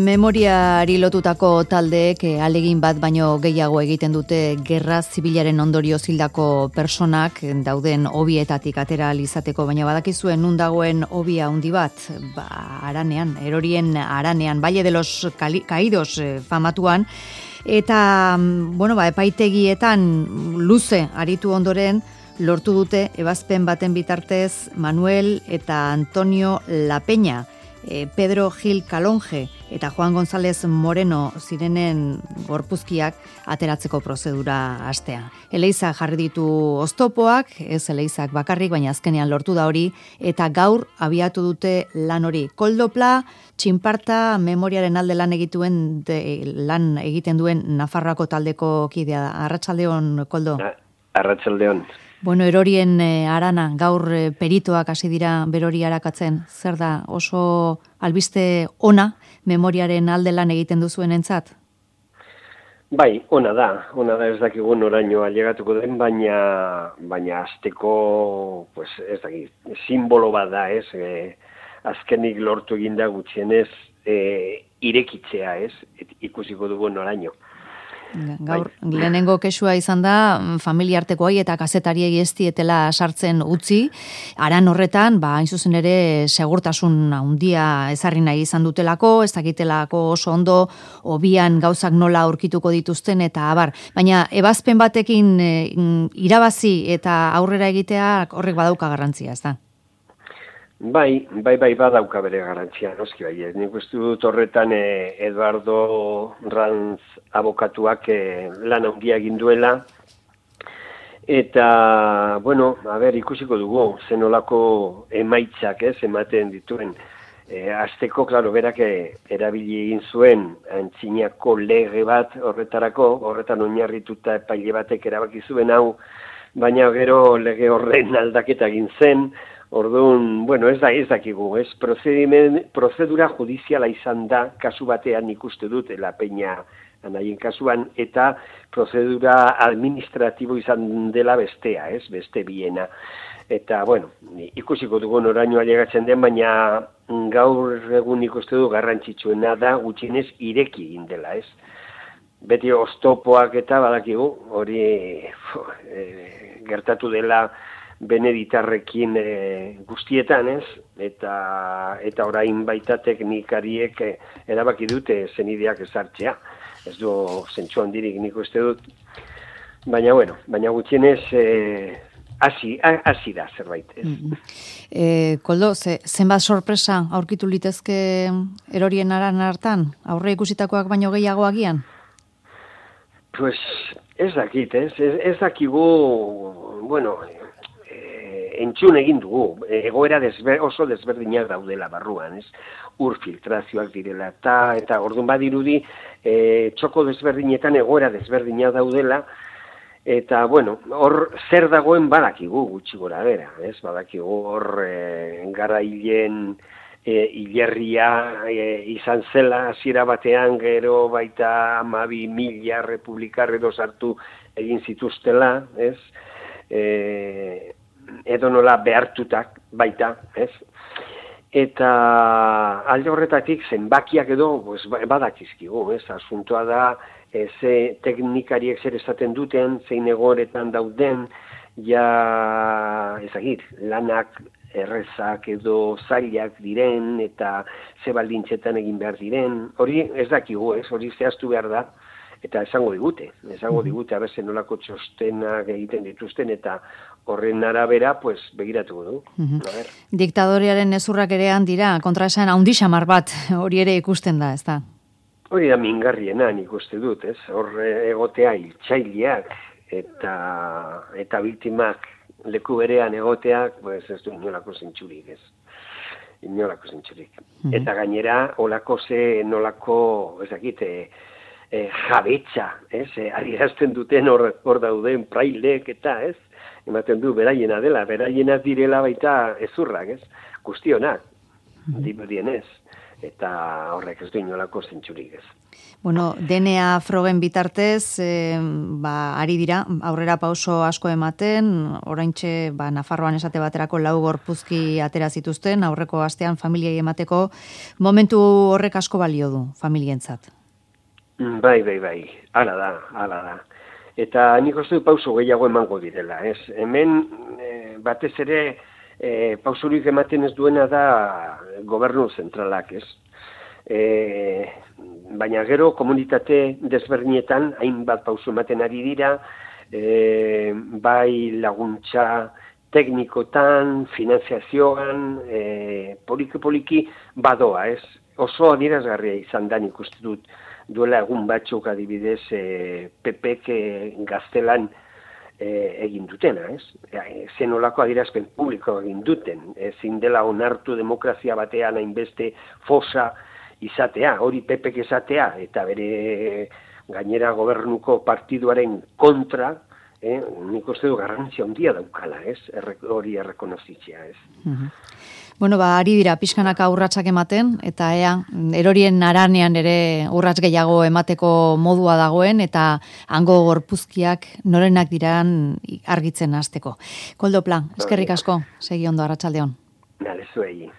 Memoriari lotutako taldeek ahalegin bat baino gehiago egiten dute gerra zibilaren ondorioz hildako personak dauden hobietatik atera ahal izateko, baina badakizuen nun dagoen hobia handi bat, Haranean, Erorien Haranean, Valle de los Caídos famatuan, eta epaitegietan luze aritu ondoren lortu dute ebazpen baten bitartez Manuel eta Antonio La Peña, Pedro Gil Calonge eta Juan González Moreno zirenen gorpuzkiak ateratzeko prozedura hastea. Eleiza jarri ditu oztopoak, ez Eleizak bakarrik, baina azkenean lortu da hori, eta gaur abiatu dute lan hori. Koldopla, Txinparta, memoriaren alde lan egiten duen Nafarroako taldeko kidea. Arratsaldeon, Koldo. Arratsaldeon. Bueno, Erorien Harana, gaur peritoak hasi dira berori arakatzen. Zer da, oso albiste ona memoriaren alde lan egiten duzuenentzat? Bai, ona da ez dakigu noraino ailegatuko den, baina hasteko, pues ez dakit, simbolo bat da, ez? Azkenik lortu eginda gutxienez irekitzea, ez? Ikusiko dugu noraino. Gaur, lehenengo kexua izan da, familiartekoei eta kazetariei ez dietela sartzen utzi, haran horretan, hain zuzen ere, segurtasun handia ezarri nahi izan dutelako, ez dakitelako oso ondo, hobian gauzak nola aurkituko dituzten, eta abar. Baina, ebazpen batekin irabazi eta aurrera egitea horrek badauka garrantzia, ez da? Bai, badauka bere garantzia, noski bai. Nik uste dut horretan Eduardo Ranz abokatuak lan handia egin duela, eta, ikusiko dugu, zenolako emaitzak ematen dituen. Azteko, klaro, berak erabili egin zuen antzinako lege bat horretan oinarrituta epaile batek erabaki zuen hau, baina gero lege horren aldaketa egin zen. Orduan, ez dakigu, prozedura judiziala izan da, kasu batean ikuste dut, La Peña anaien kasuan, eta prozedura administratibo izan dela bestea, beste biena. Eta, ikusiko dugu noraino ailegatzen den, baina gaur egun ikuste du garrantzitsuena da, gutxienez ireki egin dela, Beti oztopoak eta badakigu, hori gertatu dela Beneditarrekin guztietan, eta orain baita teknikariek erabaki dute zenideak ezartzea. Ez du zentsu handirik nik uste dut. Baina gutxienez hasi da zerbait. Koldo, zenbat sorpresa aurkitu litezke Erorien Haran hartan? Aurre ikusitakoak baino gehiago agian? Pues ez dakit, ez dakigu, entzun egin dugu, egoera oso desberdinak daudela barruan, ur filtrazioak direla, eta orduan badirudi txoko desberdinetan egoera desberdinak daudela, eta hor zer dagoen badakigu gutxi gora bera, badakigu hor garailen hilerria izan zela hasiera batean, gero baita 12.000 republikar edo sartu egin zituztela, edo nola behartutak baita, Eta alde horretatik zenbakiak edo badakizkigu, asuntoa da, ze teknikariek zer esaten duten, zein egoretan dauden, lanak errezak edo zailak diren, eta ze baldintzetan egin behar diren, hori ez dakigu, hori zehaztu behar da, eta esango digute, abezen nolako txostenak egiten dituzten, eta horren arabera, begiratuko du. Diktadorearen ezurrak ere handira, kontraesan handi xamar bat, hori ere ikusten da, ez da? Hori da mingarriena nik uste dut, hor egotea hiltzaileak, eta biktimak leku berean egoteak, ez du inolako zentsurik, Eta gainera, nolako, jabetza, adierazten duten hor dauden prailek eta, ematen du beraiena dela, beraiena direla baita ezurrak, guztionak, dirudienez. eta horrek ez du inolako zentzurik ez. Bueno, DNA frogen bitartez, ari dira, aurrera pauso asko ematen, oraintxe Nafarroan esate baterako 4 gorpuzki atera zituzten, aurreko astean familiai emateko, momentu horrek asko balio du, familientzat. Bai, hala da. Eta nik uste pauso gehiago emango direla, ez? Hemen, batez ere, pausurik ematen ez duena da gobernu zentralak, ez? Baina gero komunitate desberdinetan hainbat pauso ematen ari dira, bai laguntza teknikotan, finanziazioan, poliki badoa, ez? Oso adierazgarria izan da nik uste dut duela egun batzuk adibidez PPk Gaztelan egin dutena, ez? Zenolako adierazpen publiko egin duten, ezin dela onartu demokrazia batean hainbeste fosa izatea, hori PPk izatea, eta bere gainera gobernuko partiduaren kontra, nik uste du garrantzia handia daukala, ez? Hori errekonozitzea, ez? Bueno, ari dira pixkanaka urratsak ematen, eta erorien haranean ere urrats gehiago emateko modua dagoen, eta hango gorpuzkiak norenak diran argitzen hasteko. Koldo Pla, eskerrik asko, segi ondo, arratsaldeon. Nale zuei.